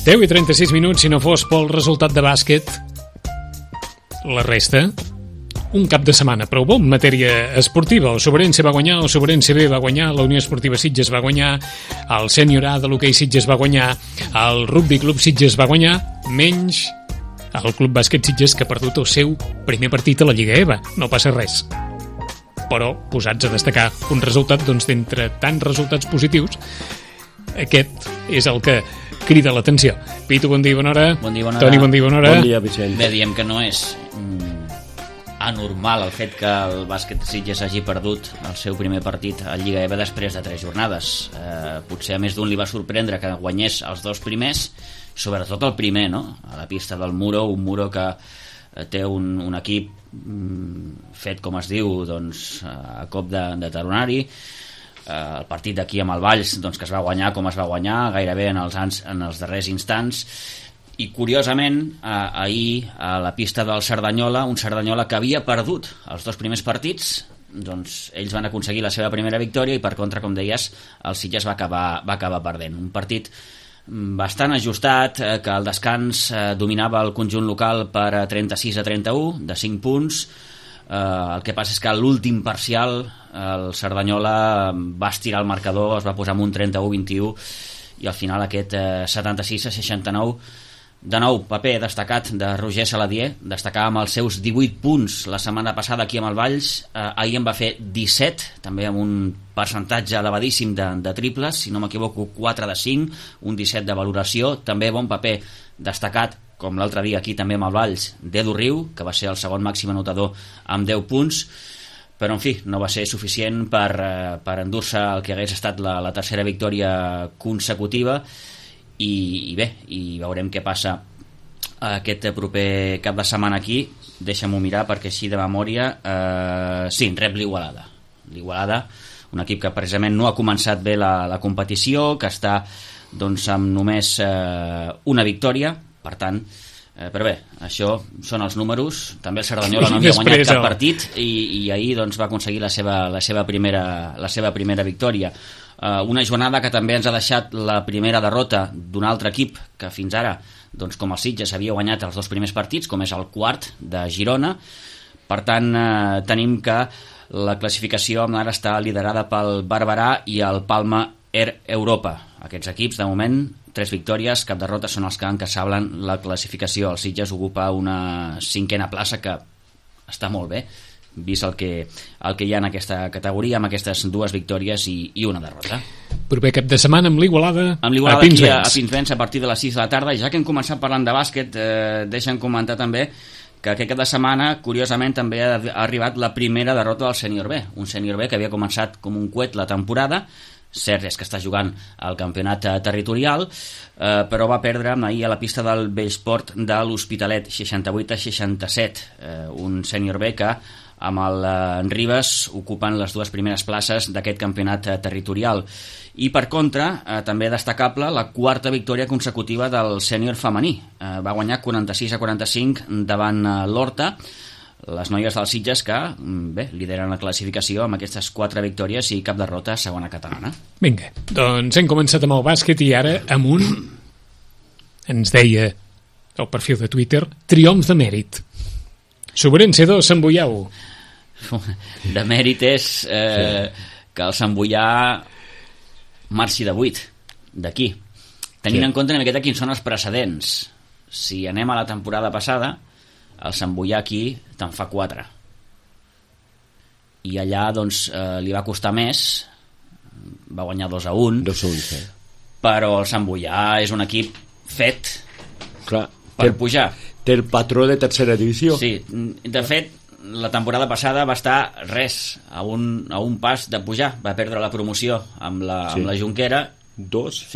10:36, si no fos pel resultat de bàsquet, la resta, un cap de setmana prou bo en matèria esportiva. El Sobrense va guanyar, el Sobrense B va guanyar, la Unió Esportiva Sitges va guanyar, el Sènior A de l'hoquei Sitges va guanyar, el Rugby Club Sitges va guanyar, menys el Club Bàsquet Sitges, que ha perdut el seu primer partit a la Lliga EVA. No passa res. Però, posats a destacar un resultat, doncs d'entre tants resultats positius, aquest és el que crida l'atenció. Pitu, bon dia, bona hora. Bon dia, bona hora. Toni, bon dia, bona hora. Bon dia, Vicent. Bé, diem que no és anormal el fet que el bàsquet Sitges hagi perdut el seu primer partit a Lliga EVA després de 3 jornades. Potser a més d'un li va sorprendre que guanyés els 2 primers, sobretot el primer, no? A la pista del Muro, un Muro que té un equip fet, com es diu, doncs, a cop de talonari. El partit d'aquí amb el Valls, doncs, que es va guanyar com es va guanyar, gairebé en els darrers instants. I curiosament, ahir a la pista del Cerdanyola, un Cerdanyola que havia perdut els 2 primers partits, doncs ells van aconseguir la seva primera victòria i per contra, com deies, el Sitges va acabar perdent. Un partit bastant ajustat, que al descans dominava el conjunt local per 36-31, de 5 punts. El que passa és que a l'últim parcial el Cerdanyola va estirar el marcador, es va posar amb un 31-21 i al final aquest 76-69. De nou, paper destacat de Roger Saladier, destacava amb els seus 18 punts la setmana passada aquí amb el Valls. Ahir en va fer 17, també amb un percentatge elevadíssim de triples, si no m'equivoco 4 de 5, un 17 de valoració. També bon paper destacat, com l'altre dia aquí també amb el Valls, d'Edu Riu, que va ser el segon màxim anotador amb 10 punts, però en fi, no va ser suficient per endur-se el que hagués estat la tercera victòria consecutiva. I bé, i veurem què passa aquest proper cap de setmana aquí. Deixa'm-ho mirar perquè així de memòria sí, rep l'Igualada, un equip que precisament no ha començat bé la competició, que està doncs amb només una victòria, per tant, però bé, això són els números. També el Cerdanyola no havia guanyat cap partit i ahir doncs va aconseguir la seva primera victòria. Una jornada que també ens ha deixat la primera derrota d'un altre equip que fins ara, doncs, com el Sitges, havia guanyat els 2 primers partits, com és el quart de Girona. Per tant, tenim que la classificació ara està liderada pel Barberà i el Palma Air Europa. Aquests equips, de moment, 3 victòries, cap derrota, són els que encasablen la classificació. El Sitges ocupa una 5a plaça, que està molt bé, vist el que hi ha en aquesta categoria, amb aquestes 2 victòries i una derrota. Proper cap de setmana amb l'Igualada a Pinsbens a partir de les 6 de la tarda. I ja que hem començat parlant de bàsquet, deixa'm comentar també que aquest cap de setmana, curiosament, també ha arribat la primera derrota del Sènior B, un Sènior B que havia començat com un coet la temporada. Cert és que està jugant al campionat territorial, però va perdre ahir a la pista del Bellsport de l'Hospitalet 68-67, un Sènior B que amb el Ribes ocupen les 2 primeres places d'aquest campionat territorial. I per contra, també destacable la 4a victòria consecutiva del sènior femení. Va guanyar 46-45 davant l'Horta, les noies dels Sitges que bé, lideren la classificació amb aquestes 4 victòries i cap derrota a segona catalana. Vinga, doncs hem començat amb el bàsquet i ara amb un, ens deia el perfil de Twitter, triomf de mèrit. Sobrense 2, Sant Boiau. De mèrit és que el Sant Boià marxi de 8 d'aquí, tenint en compte una miqueta quins són els precedents. Si anem a la temporada passada, el Sant Boià aquí te'n fa 4 i allà doncs li va costar més, va guanyar 2-1, sí. Però el Sant Boià és un equip fet Clar, per pujar. Té el patró de tercera divisió. Sí, de fet la temporada passada va estar a un pas de pujar, va perdre la promoció amb la Jonquera. Dos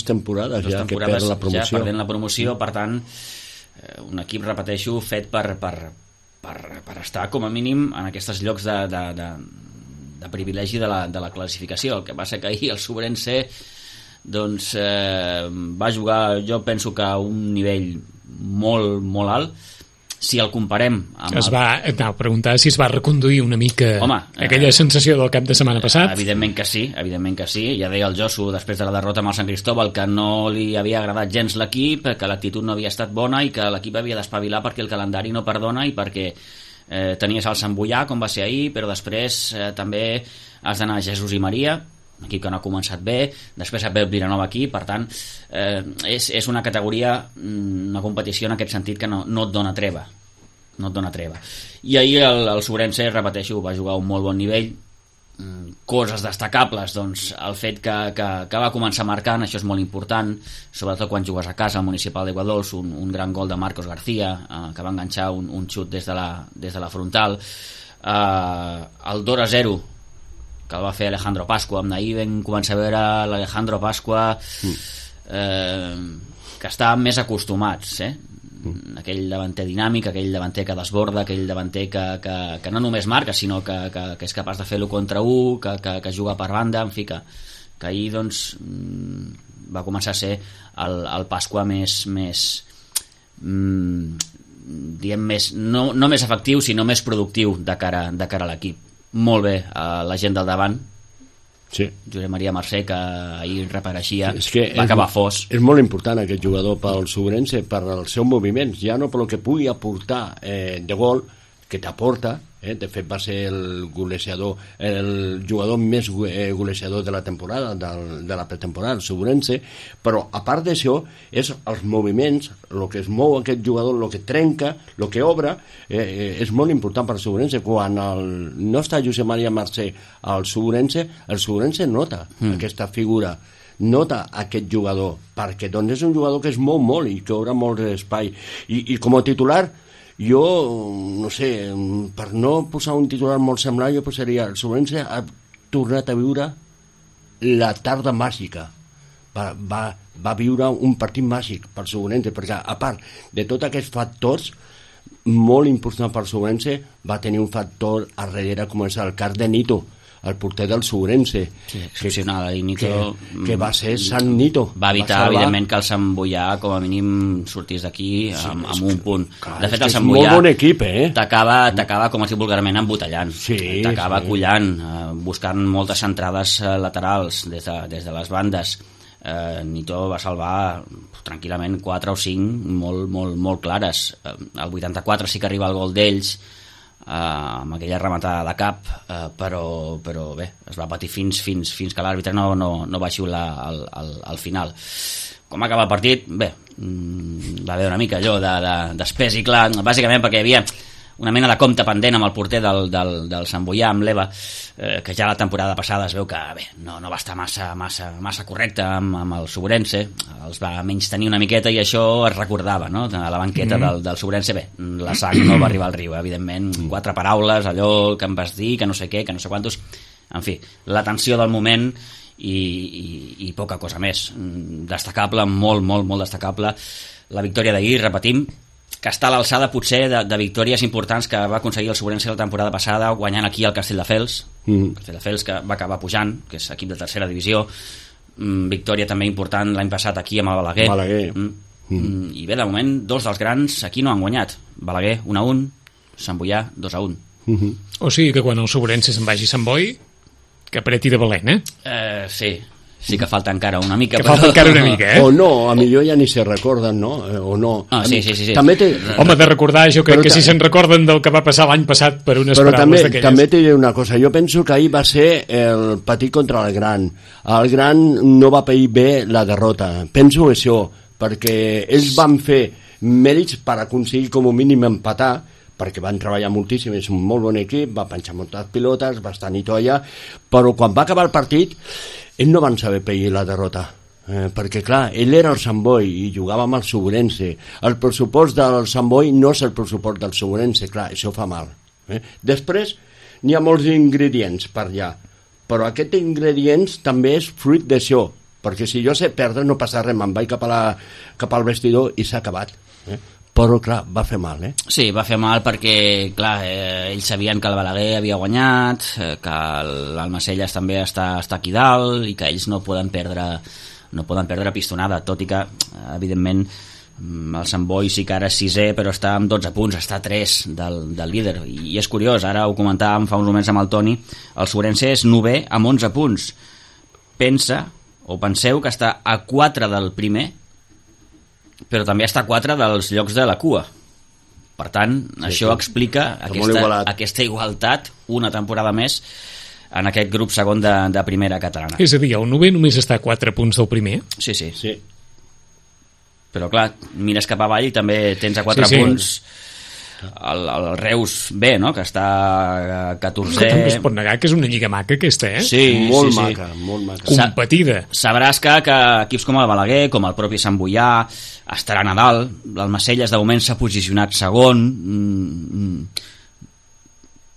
temporades ja que perd la promoció. Ja perdent la promoció, per tant un equip, repeteixo, fet per estar com a mínim en aquests llocs de privilegi de la classificació. El que passa que ahir el Sobrense doncs va jugar, jo penso que a un nivell molt, molt alt, Si el comparem amb... a preguntar si es va reconduir una mica aquella sensació del cap de setmana passat. Evidentment que sí. Ja deia el Josu, després de la derrota amb el Sant Cristóbal, que no li havia agradat gens l'equip, que l'actitud no havia estat bona i que l'equip havia d'espavilar perquè el calendari no perdona i perquè tenies el Sant Boià, com va ser ahir, però després també has d'anar a Jesús i Maria, equip que no ha començat bé, després et ve el Vilanova aquí, per tant és una categoria, una competició en aquest sentit que no et dona treva, i ahir el Sobrense, repeteixo, va jugar a un molt bon nivell. Coses destacables, doncs el fet que va començar marcant, això és molt important, sobretot quan jugues a casa al Municipal de Guadols, un gran gol de Marcos García, que va enganxar un xut des de la frontal, el 2-0 que el va fer Alejandro Pascua. Amb ahir vam començar a veure l'Alejandro Pascua que estàvem més acostumats, aquell davanter dinàmic, aquell davanter que desborda, aquell davanter que no només marca, sinó que és capaç de fer-lo contra un, que juga per banda, en fi, que ahir doncs va començar a ser el Pascua més diem més, no més efectiu, sinó més productiu de cara a l'equip. Molt bé la gent del davant, Josep Maria Mercè, que ahir reapareixia, va acabar fos. És molt important aquest jugador pel Sobrense, per els seus moviments, ja no pel que pugui aportar de gol, que t'aporta, de fet va ser el jugador més golejador de la temporada, de la pretemporada, el Sobrense, però a part d'això és els moviments, el que es mou aquest jugador, el que trenca, el que obre, és molt important per al Sobrense. Quan no està Josep Maria Mercè al Sobrense, el Sobrense nota aquesta figura, nota aquest jugador, perquè doncs és un jugador que es mou molt i que obre molt espai, i com a titular jo, no sé, per no posar un titular molt semblant, jo posaria el Sobrense ha tornat a viure la tarda màgica, va viure un partit màgic per Sobrense, perquè a part de tots aquests factors molt importants per Sobrense, va tenir un factor a darrere com és el cas de Nito, el porter del Sobrense, excepcional, i Nito, que va ser Sant Nito, va evitar evidentment que el Sant Boià com a mínim sortís d'aquí amb un punt. De fet, el Sant Boià molt bon equip, t'acaba com es diu vulgarment embotellant, t'acaba collant, buscant moltes centrades laterals des de les bandes. Nito va salvar tranquil·lament 4 o 5 molt clares. El 84 sí que arriba el gol d'ells, amb aquella rematada de cap, però bé, es va patir fins que l'àrbitre no va xiular al final. Com acaba el partit? Bé, va haver una mica allò d'espès i clar, bàsicament perquè hi havia una mena de compte pendent amb el porter del Sant Boià, amb l'Eva, que ja la temporada passada es veu que bé, no va estar massa correcte amb el Sobrense, els va menystenir una miqueta i això es recordava, no? A la banqueta del Sobrense. Bé, la sang no va arribar al riu, evidentment, 4 paraules, allò que em vas dir, que no sé què, que no sé quantos, en fi, la tensió del moment i poca cosa més. Destacable, molt destacable la victòria d'ahir, repetim, que està a l'alçada potser de victòries importants que va aconseguir el Sobrense la temporada passada, guanyant aquí el Castelldefels, Castelldefels que va acabar pujant, que és equip de tercera divisió, victòria també important l'any passat aquí amb el Balaguer. I bé, de moment 2 dels grans aquí no han guanyat, Balaguer 1-1, Sant Boià 2-1. O sigui que quan el Sobrense se'n vagi a Sant Boi, que apreti de valent, Sí que falta encara una mica. O no, a millor ja ni se recorden, no? O no. Sí. També home, de recordar, jo crec que si se'n recorden del que va passar l'any passat per unes paraules d'aquelles. Però també t'hi diré una cosa. Jo penso que ahir va ser el petit contra el gran. El gran no va pair bé la derrota. Penso això, perquè ells van fer mèrits per aconseguir com a mínim empatar, perquè van treballar moltíssim, és un molt bon equip, va penjar moltes pilotes, va estar Nito allà, però quan va acabar el partit ells no van saber pair la derrota, perquè clar, ell era el Sant Boi i jugava amb el Sobrense. El pressupost del Sant Boi no és el pressupost del Sobrense, clar, això fa mal. Després n'hi ha molts ingredients per allà, però aquests ingredients també és fruit d'això, perquè si jo sé perdre no passa res, me'n vaig cap al vestidor i s'ha acabat. Però clar, va fer mal, Sí, va fer mal perquè, clar, ells sabien que el Balaguer havia guanyat, que l'Almacelles també està aquí dalt i que ells no poden perdre pistonada, tot i que, evidentment, El Sant Boi sí que ara és 6è, però està amb 12 punts, està a 3 del líder. I és curiós, ara ho comentàvem fa uns moments amb el Toni, el Sobrense és 9è amb 11 punts. Penseu que està a 4 del primer, però també està a 4 dels llocs de la cua. Per tant, això explica aquesta igualtat una temporada més en aquest grup segon de primera catalana. És a dir, el 9è només està a 4 punts del primer? Sí. Però clar, mires cap avall i també tens a 4 punts el Reus B, no? Que està a 14è. També es pot negar que és una lliga maca aquesta, eh? Sí, molt maca. Competida. Sabràs que equips com el Balaguer, com el propi Sant Boià, estaran a dalt. L'Almacelles de moment s'ha posicionat segon.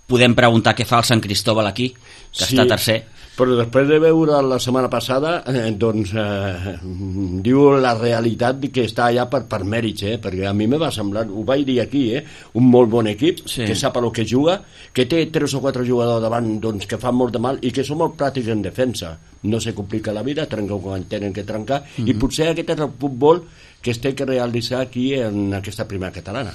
Podem preguntar què fa el Sant Cristóbal aquí, que està tercer. Però després de veure la setmana passada, diu la realitat que està allà per mèrits, perquè a mi me va semblar, ho vaig dir aquí, un molt bon equip, que sap el que juga, que té 3 o 4 jugadors davant que fan molt de mal i que són molt pràctics en defensa. No se complica la vida, trenca quan tenen que trencar, i potser aquest és el futbol que es té que realitzar aquí en aquesta primera catalana.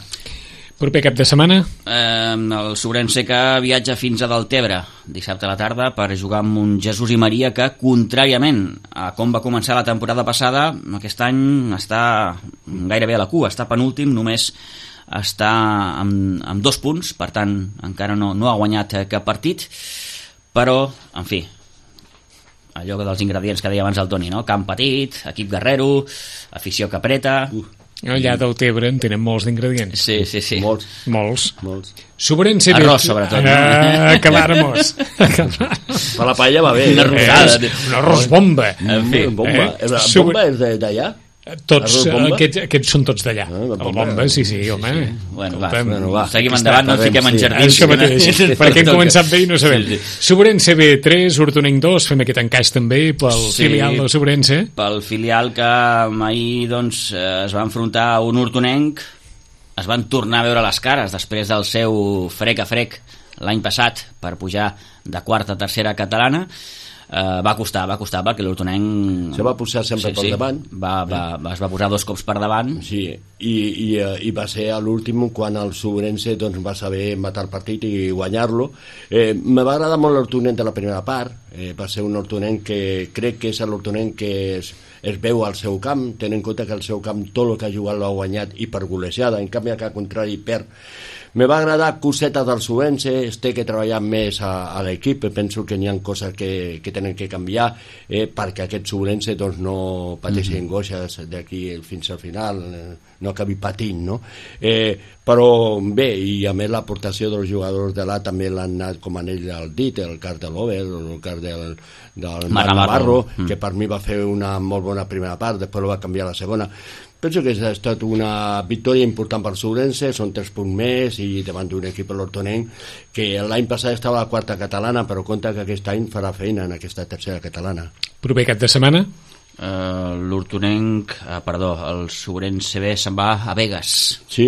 Proper cap de setmana? El Sobrense que viatja fins a Deltebre dissabte a la tarda per jugar amb un Jesús i Maria que, contràriament a com va començar la temporada passada, aquest any està gairebé a la cua, està penúltim, només està amb 2 punts, per tant encara no ha guanyat cap partit, però, en fi, allò dels ingredients que deia abans el Toni, no? Camp petit, equip guerrero, afició que apreta... Allà del Tebre en tenen molts d'ingredients. Sí. Molts. Sobrense bé. Arròs, sobretot. Acabáramos. Per la paella va bé. Una rosada. Un arròs bomba. En fi. Bomba. La bomba és d'allà? Aquests són tots d'allà. El bomba, sí, home. Bueno, va. Seguim endavant, no fiquem en jardins. Això mateix, perquè hem començat bé i no sabem. Sobrense B 3, Hortonenc 2, fem aquest encaix també pel filial de Sobrense. Pel filial que ahir es va enfrontar a un Hortonenc, es van tornar a veure les cares després del seu frec a frec l'any passat per pujar de quarta a tercera catalana. Va costar perquè l'Hortonenc se va posar sempre per davant, es va posar 2 cops per davant, i va ser a l'últim quan el Sobrense va saber matar el partit i guanyar-lo. Me va agradar molt l'Hortonenc de la primera part, va ser un Hortonenc que crec que és l'Hortonenc que es veu al seu camp, tenint en compte que el seu camp tot el que ha jugat l'ha guanyat i per golejada, en canvi que al contrari perd. Me va agradar cosetes del Sobrense, es té que treballar més a l'equip, penso que n'hi ha coses que tenen que canviar perquè aquest Sobrense no pateixi angoixes d'aquí fins al final, no acabi patint, no? Però bé, i a més l'aportació dels jugadors de l'A també l'han anat com en ell el dit, el cas de l'Over, el cas del Navarro, que per mi va fer una molt bona primera part, després va canviar a la segona. Penso que ha estat una victòria important per Sobrense, són 3 punts més i davant d'un equip l'Hortonenc que l'any passat estava a la quarta catalana, però compta que aquest any farà feina en aquesta tercera catalana. Proper cap de setmana? El Sobrense B se'n va a Begues. Sí,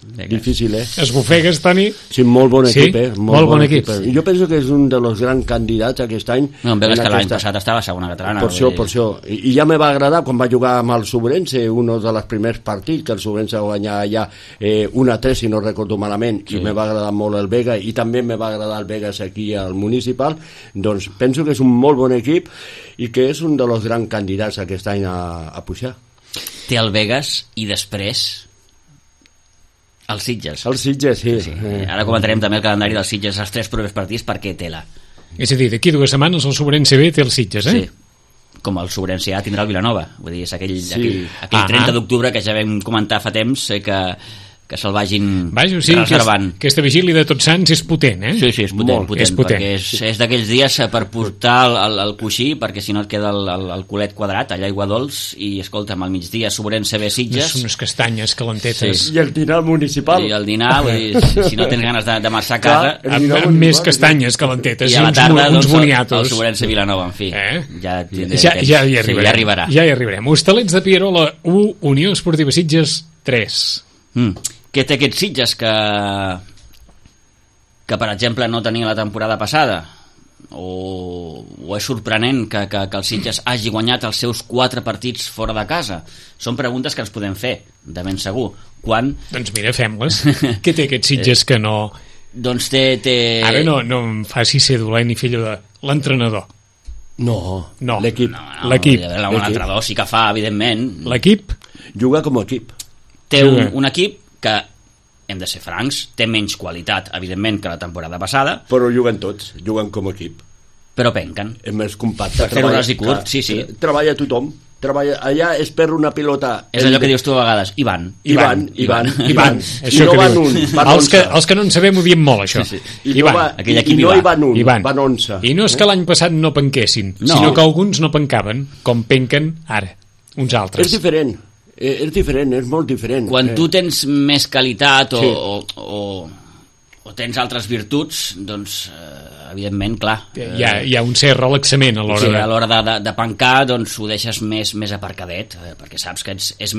difícil, Esbufegues, Toni? Sí, molt bon equip, molt bon equip. Jo penso que és un dels grans candidats aquest any. No, em veus que l'any passat estava a segona catalana. Per això. I ja me va agradar quan va jugar amb el Sobrense, un dels primers partits, que el Sobrense va guanyar allà 1-3, si no recordo malament, i me va agradar molt el Vega, i també me va agradar el Vegas aquí al Municipal. Doncs penso que és un molt bon equip i que és un dels grans candidats aquest any a pujar. Té el Vegas i després els Sitges. Els Sitges, sí. Ara comentarem també el calendari dels Sitges, els 3 propers partits, perquè tela. És a dir, d'aquí 2 setmanes el Sobrense B té els Sitges, Sí, com el Sobrense A tindrà el Vilanova. Vull dir, és aquell 30 d'octubre que ja vam comentar fa temps que se'l vagin reservant. Aquesta vigília de Tots Sants és potent, Sí, és potent, perquè és d'aquells dies per portar el coixí, perquè si no et queda el culet quadrat, allà aigua dolç, i escolta'm, al migdia Sobrense B Sitges. Són unes castanyes calentetes. I el dinar municipal. I el dinar, si no tens ganes de marxar a casa... Amb més castanyes calentetes i a la tarda, uns boniatos. El Sobrense Vilanova, en fi. Ja hi arribarem. Ja hi arribarem. Hostalets de Pierola 1, Unió Esportiva Sitges 3. Què té aquests Sitges que per exemple no tenia la temporada passada? o és sorprenent que el Sitges hagi guanyat els seus 4 partits fora de casa? Són preguntes que ens podem fer, de ben segur. Doncs mira, fem-les. Què té aquest Sitges que no... Doncs té... Ara no em faci ser dolent i fill de l'entrenador. No, l'equip. L'equip. L'entrenador sí que fa, evidentment. L'equip? Juga com a equip. Té un equip que, hem de ser francs, té menys qualitat, evidentment, que la temporada passada. Però juguen tots, juguen com a equip. Però penquen. És més compacte. Per fer-ho ras i curt, sí. Treballa tothom. Allà es perd una pilota... És allò que dius tu a vegades, i van. I van. Això que dius. Els que no en sabem ho diem molt, això. Sí. I no hi van un, van 11. I no és que l'any passat no penquessin, sinó que alguns no pencaven, com penquen ara, uns altres. És diferent, és molt diferent. Quan tu tens més qualitat o tens altres virtuts, doncs... evidentment, clar. Hi ha un cert relaxament a l'hora de pencar, doncs ho deixes més aparcadet, perquè saps que ets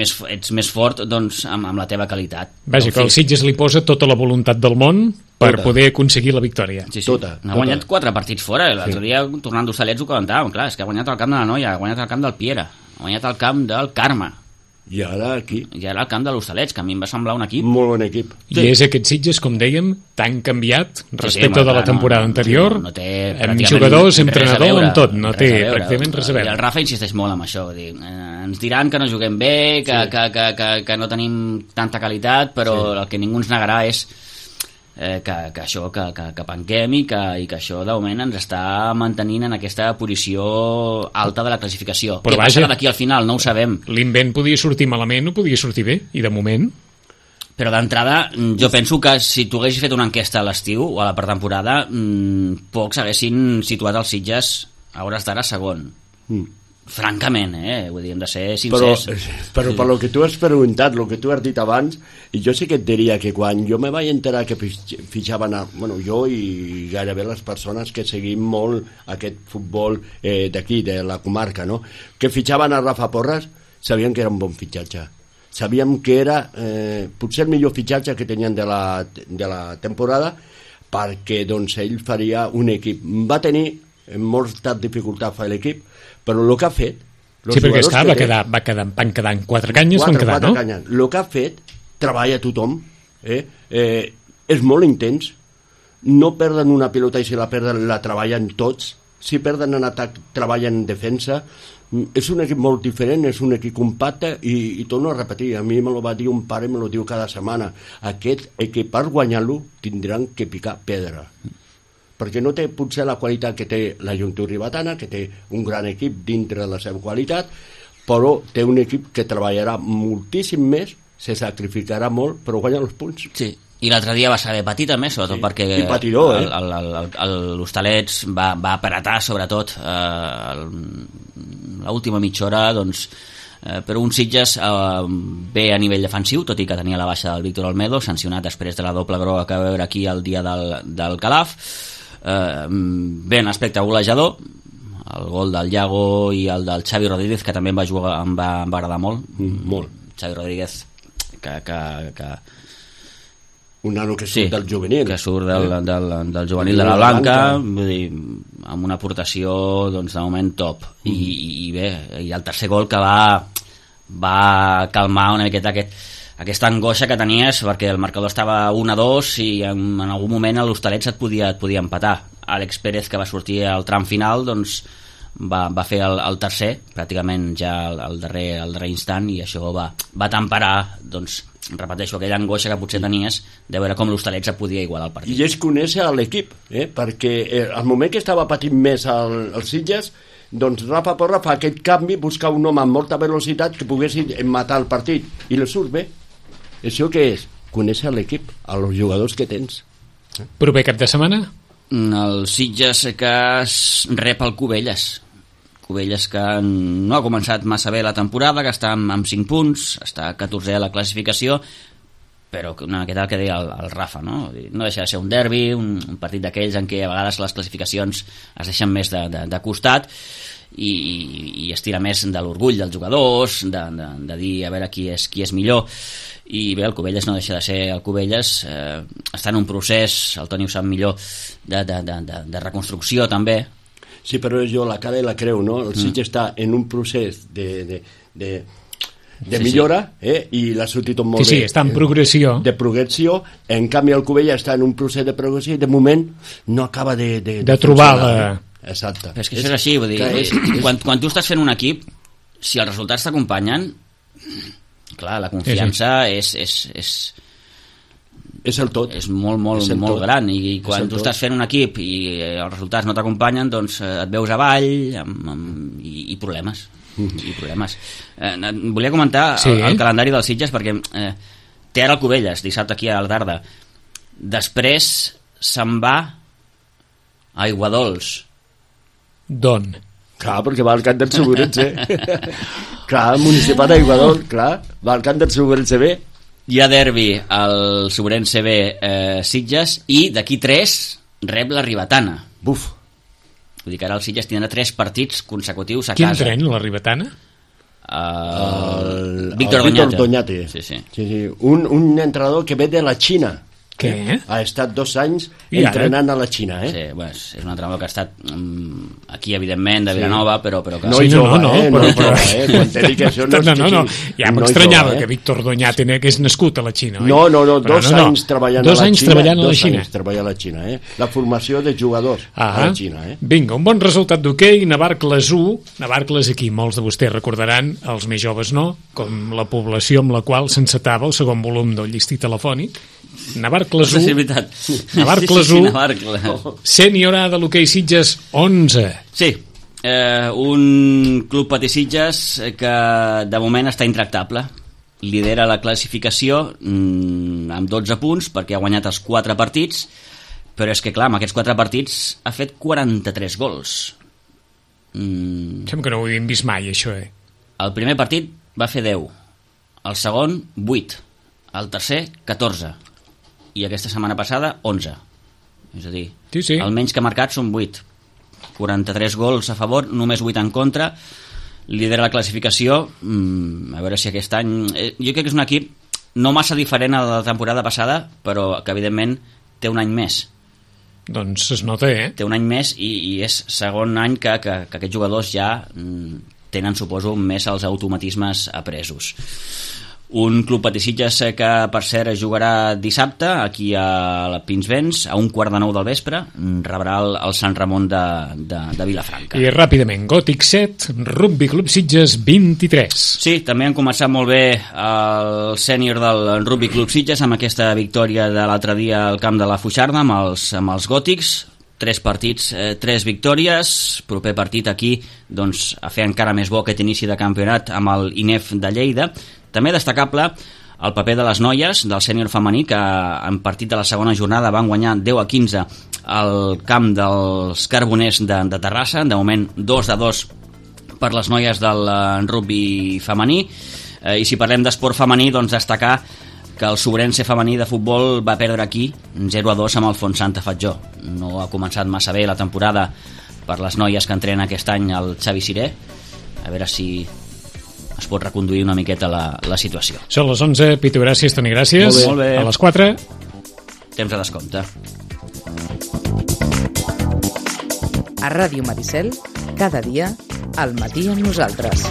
més fort doncs, amb la teva qualitat. Vaja, que el Sitges li posa tota la voluntat del món per poder aconseguir la victòria. Sí. Ha guanyat 4 partits fora. L'altre dia, tornant d'Hostalets, ho comentàvem. Clar, és que ha guanyat al camp de la Noia, ha guanyat al camp del Piera, ha guanyat al camp del Carme. I ara aquí. I ara al camp de l'Hostalets, que a mi em va semblar un equip. Molt bon equip. I és aquest Sitges, com dèiem, tan canviat respecte de la temporada anterior, amb jugadors, entrenador, amb tot. No té pràcticament res a veure. I el Rafa insisteix molt en això. Ens diran que no juguem bé, que no tenim tanta qualitat, però el que ningú ens negarà és que això, que penquem i que això de moment ens està mantenint en aquesta posició alta de la classificació. Què passarà d'aquí al final? No ho sabem. L'invent podia sortir malament o podia sortir bé, i de moment... Però d'entrada, jo penso que si tu haguessis fet una enquesta a l'estiu o a la pretemporada, pocs haguessin situat els Sitges a hores d'ara segon. Francament, vull dir, hem de ser sincers. Però per lo que tu has preguntat, lo que tu has dit abans, i jo sí que et diria que quan jo me vaig enterar que fitxaven jo i gairebé les persones que seguim molt aquest futbol d'aquí, de la comarca, no? Que fitxaven a Rafa Porras, sabien que era un bon fitxatge. Sabíem que era potser el millor fitxatge que tenien de la temporada, perquè doncs ell faria un equip. Va tenir molta dificultat fer l'equip, però el que ha fet... Sí, perquè van quedar en 4 canyes, van quedar, no? El que ha fet, treballa tothom, és molt intens, no perden una pilota i si la perden la treballen tots, si perden en atac treballen en defensa, és un equip molt diferent, és un equip compacte i torno a repetir, a mi me lo va dir un pare, me lo diu cada setmana, aquest equip per guanyar-lo tindran que picar pedra, perquè no té potser la qualitat que té la Joventut Ribetana, que té un gran equip dintre de la seva qualitat, però té un equip que treballarà moltíssim més, se sacrificarà molt, però guanya els punts. Sí, i l'altre dia va saber patir també, sobretot perquè l'Hostalets va apretar sobretot l'última mitja hora, doncs, però un Sitges bé a nivell defensiu, tot i que tenia la baixa del Víctor Olmedo, sancionat després de la doble groga que va veure aquí el dia del Calaf. Bé, en aspecte golejador, el gol del Iago i el del Xavi Rodríguez, que també em va agradar molt. Xavi Rodríguez, que un nano que surt del juvenil, que surt del juvenil de la Blanca, vull dir, amb una aportació doncs, de moment top. I bé, i el tercer gol que va calmar una miqueta aquesta angoixa que tenies, perquè el marcador estava 1-2 i en algun moment l'Hostalets et podia empatar. Àlex Pérez, que va sortir al tram final, doncs va fer el tercer, pràcticament ja al darrer instant, i això va temperar, doncs, repeteixo, aquella angoixa que potser tenies de veure com l'Hostalets et podia igualar el partit. I és conèixer l'equip, perquè al moment que estava patint més els Sitges, doncs Rafa Porra fa aquest canvi, busca un home amb molta velocitat que pogués matar el partit, i li surt bé. Això què és? Conèixer l'equip, els jugadors que tens. Proper cap de setmana? El Sitges que rep el Cubelles, que no ha començat massa bé la temporada, que està amb 5 punts, està 14è a la classificació, però una miqueta el que deia el Rafa, no deixa de ser un derbi, un partit d'aquells en què a vegades les classificacions es deixen més de costat, i es tira més de l'orgull dels jugadors, de dir a veure qui és millor. I bé, el Cubelles no deixa de ser el Cubelles, està en un procés, el Toni ho sap millor, de reconstrucció també. Sí, però jo la cara i la creu, no? El Sitges està en un procés de millora, i l'ha sortit tot molt bé. Sí, està en progressió. De progressió, en canvi el Cubelles està en un procés de progressió i de moment no acaba de trobar la... Exacte. Però és que això és així, vull dir, quan tu estàs fent un equip, si els resultats t'acompanyen, clar, la confiança és el tot. És molt gran, i quan tu estàs fent un equip i els resultats no t'acompanyen, doncs et veus avall i problemes. Volia comentar el calendari dels Sitges, perquè té ara el Cubelles dissabte aquí a la tarda, després se'n va a Aiguadols. D'on? Clar, perquè va al camp del Segurense. Clar, el municipal d'Aiguadols, clar, va al camp del Segurense B. Hi ha derbi al Segurense B Sitges, i d'aquí 3 rep la Ribetana. Buf. Vull dir que ara el Sitges tindrà 3 partits consecutius a casa. Quin tren, la Ribetana? Víctor Doñate. Sí. Un entrenador que ve de la Xina. Què? Ha estat 2 anys entrenant a la Xina, Sí, bueno, és un entrenador que ha estat aquí, evidentment, de Vilanova, però que... No, quan te dic això no. Ja m'estranyava que Víctor Doñate hagués nascut a la Xina, oi? No, 2 anys treballant a la Xina. 2 anys treballant a la Xina. 2 anys treballant a la Xina, La formació de jugadors a la Xina, Vinga, un bon resultat d'hoquei, Navarcles 1. Navarcles aquí, molts de vostès recordaran, els més joves no, com la població amb la qual s'encetava el segon volum del llistí telefònic. Navarcles 1. Sí, és veritat. Navarcles 1. Sènior A de l'hoquei Sitges 11. Sí, un club Patí Sitges que de moment està intractable. Lidera la classificació amb 12 punts perquè ha guanyat els 4 partits, però és que clar, amb aquests 4 partits ha fet 43 gols. Sembla que no ho havíem vist mai, això, El primer partit va fer 10, el segon 8, el tercer 14, i aquesta setmana passada 11. És a dir, el menys que ha marcat són 8. 43 gols a favor, només 8 en contra. Lidera la classificació. A veure si aquest any... Jo crec que és un equip no massa diferent a la temporada passada, però que evidentment té un any més. Doncs es nota, Té un any més i és segon any que aquests jugadors ja tenen, suposo, més els automatismes apresos. Un club Patí Sitges que, per cert, jugarà dissabte aquí a la Pinsbens a 8:45 del vespre. Rebrà el Sant Ramon de Vilafranca. I ràpidament, Gòtic 7, Rugby Club Sitges 23. Sí, també han començat molt bé el sènior del Rugby Club Sitges amb aquesta victòria de l'altre dia al camp de la Foixarda amb els Gòtics. 3 partits, 3 victòries. Proper partit aquí, doncs, a fer encara més bo aquest inici de campionat amb el INEF de Lleida. També destacable el paper de les noies del sènior femení, que en partit de la segona jornada van guanyar 10-15 al camp dels Carboners de Terrassa. De moment 2-2 per les noies del rugby femení. I si parlem d'esport femení, doncs destacar que el Sobrense femení de futbol va perdre aquí 0-2 amb el Fontsanta Fatjó. No ha començat massa bé la temporada per les noies que entrenen aquest any el Xavi Siré. A veure si es pot reconduir una miqueta la situació. Són les 11, Pitu, gràcies, Toni, gràcies. Molt bé. A les 4. Temps de descompte. A Ràdio Maricel, cada dia, al matí amb nosaltres.